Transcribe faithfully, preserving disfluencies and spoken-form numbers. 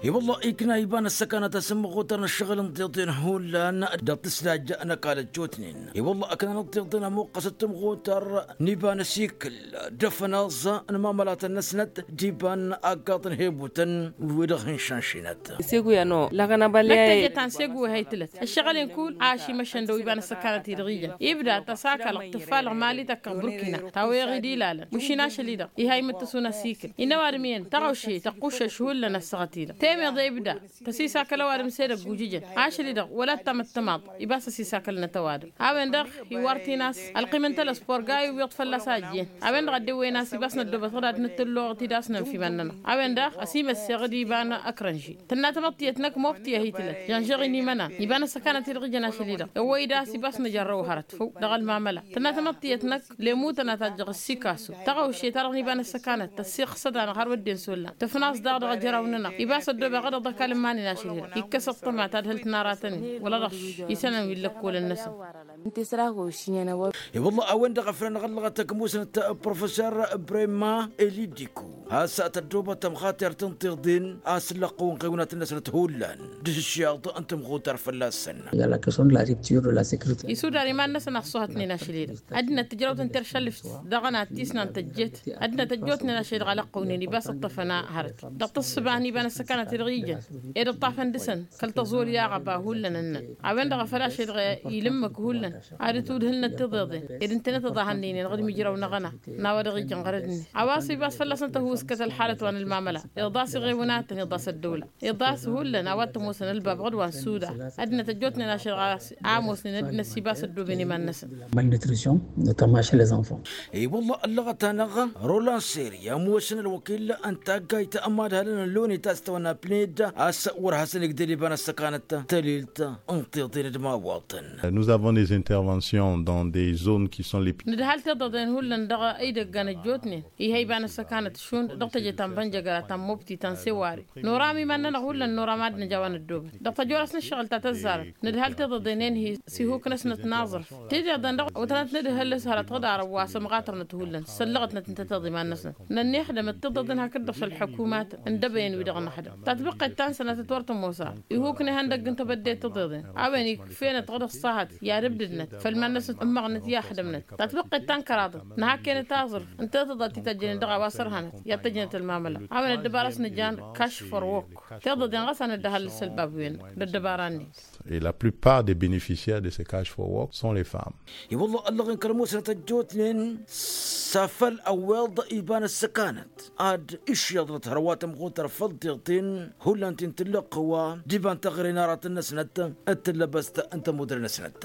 I-wălla ikna iba n-ăssăkanăt asǝmmăɣutăr n-ăššăɣǝl n-tiḍen hullan dăɣ-tǝslaj n-ăkall ăjjootnen. I-wălla ăkna n-tiḍen ămuqqăsăt tǝmɣutăr n-iba n-asikǝl d-afănaẓ n-imamălatăn-năsnăt d-iba n-aggaḍ n-hebutăn wi-dăɣ hin-šanšinăt. Segu i-anăɣ lăɣăn abălya. Năkk teje ta n-segu wi haytǝlăt ăššăɣǝl-in kull a ăšimăšăn dăw-iba n-ăssăkanăt-i-dăɣ ijăn ibda tăsakălăɣ tǝffalăɣ mali tăkkăɣ burkina ta wa iɣid ilalăn mašin ašăl-i-dăɣ iha imǝttǝs unăsikǝl. Innă ăwadǝm iyyăn tăɣawše tăqquššăš hullan ăssaɣăt-i-dăɣ temeḍe ibda tăsisakăl ăwadǝm s-edăgg ujǝjăn ašăl-i-dăɣ wăla t-tamăttămaḍ. Ibas ăsisakălnăt ăwadǝm a-wen-dăɣ iwar tinas ălqim n-telăspor ga iwwiḍ fălla-s a ăjjeen. A-wen-dăɣ ăddewăyăn a-s ibas năddoobăt ɣǝd ad-nǝttǝlloɣăt-dd a-s nănf iman-nănăɣ. A-wen-dăɣ ăsimăsseɣ d-iba n-ăkrănži tǝnna tamăḍtiyăt năkk mobti a hi-tǝlăt žănžăɣ-in imănan iba n-ăssăkanăt-i-dăɣ ijăn ašăl-i-dăɣ ăwwăy-dd a-s ibas nǝjărrăw hărăt făw dăɣ-ălmamăla tǝnna tamăḍtiyăt năkk lemu tănna tajjăɣ ăssikasu. Tăɣawše-ta-dăɣ n-iba n-ăssăkanăt tăssiɣsăd-anăɣ har wădden s-ollan tǝfnaẓ daɣ dăɣ-ajăraw-nănăɣ ibas ăddoobeɣ-dăɣ d-ăkall n-iman-in ašăl-i-dăɣ ikkăs ăṭṭăma ta d-hǝlt n-aratăn-in wăla dăɣ-išănăn wi n-lăkkolăn-năsăn. I-wălla a-wen-dăɣ a făl anăɣ-ăllăɣăt ăkmusnăt professor brema elidiku a-s tăddoobăt tămxatert n-tiḍen a-s ǝllăqqăwăn ɣewnatăn-năsnăt hullan d-ašǝššaḍ n-tǝmxutăr fălla-săn. Isudar iman-năsăn a ăṣṣuhătnen ašăl-i-dăɣ ăddinăt tǝjrăwt n-teršălǝft dăɣ-ănat tisnan tăjjet. Ăddinăt ăjjootnen ašăl-i-dăɣ alăqqăwnen ibas ǝṭṭăfăn hărăt dăɣ-tǝssǝba n-iba n-ăssăkanăt-i-dăɣ ijăn ed ǝṭṭafăn dăɣ-săn kăl-tăẓuri aɣăba hullan ǝnnăn. A-wen-dăɣ a făl ašăl-i-dăɣ ilǝmmǝk hullan ad-ǝtwǝdhǝlnăt tiḍeḍen ed ǝntănăt ăḍahăn-nen dăɣ-edmǝjrăw-năɣ ăna n-a-wa dăɣ-ijăn ɣărăd-net a-wa s-ibas fălla-săn tăhuuskăt ălxalăt wa n-ălmamăla iḍas iɣewnatăn iḍas ăddăwla iḍas hullan a-wa t-ămoosăn ălbab ɣǝd wa n-suda. Ăddinăt ăjjootnen ašăl-i-dăɣ a ămoosnen ăddinăt s-ibas ăddooben iman-năsăn. Malnutrition notamment chez les enfants. I-wălla ăllăɣăt-anăɣ roland seri ămoosăn ălwăkil n-taggayt n-imadhalăn n-loni ta s-tawănna apned a-s wăr hasăn-igdăd iba n-ăssăkanăt tălilt n-tiḍen d-imawaḍăn. Nous avons des interventions dans des zones qui sont les pires. Nǝdhal tiḍăḍen hullan dăɣ-idăggan ăjjootnen. Iha iba n-ăssăkanăt šund dăɣ-teje ta n-bănjăgăra ta n-mobti ta n-seware. Noram iman-nănăɣ hullan noram ad-nǝj a-wa năddoobăt dăɣ-tăjorăs n-ǝššăɣǝl ta tăzzarăt. Nǝdhal tiḍăḍen-en-hi s-ihuk-năsnăt n-aẓrǝf tiḍeḍen-dăɣ wătănăt nǝdhăl s-hărăt ɣǝd arăw wa sămɣatărnăt hullan săllăɣătnăt ǝnta tiḍimannăsnăt. Nănniixdămăt tiḍăḍen hakd-dăɣ šăl ălḥukumat n-dăbăyăn wi-dăɣ năxdăm tatbăqqet ta n-sănatăt wăr tămoos a ihuk n-ihăndăgg n-tebădde tiḍeḍen. A-wen ikf'-enăt ɣǝd ăṣṣahăt i-ad-ǝbdǝdnăt făll-iman-năsnăt ǝmmăɣnăt i-axdămnăt. Tatbăqqet ta n-kăraḍăt nǝhak'-enăt aẓrǝf ǝnta tiḍăt ti tăjjănen dăɣ-a-wa sărhanăt i-ad-tăjjănăt ălmamăla. A-wen ăddăbara s-nǝjan cash for work tiḍăḍen ɣas a nǝddăhăl s-ălbab wi-ennăɣ d-ăddăbara-net. Et la plupart des bénéficiaires de ces cash for work sont les femmes. I-wălla ăllăɣen kăl-musnăt ăjjootnen s-afăl ăwweḍ iba n-ăssăkanăt ad-išyaḍnăt hărwa tămɣutăr făll-tiḍten hullan ti n-tǝllăɣ qăwa d-iba n-taɣre n-aratăn-năsnăt d-tǝllăbăst n-tămudre-năsnăt.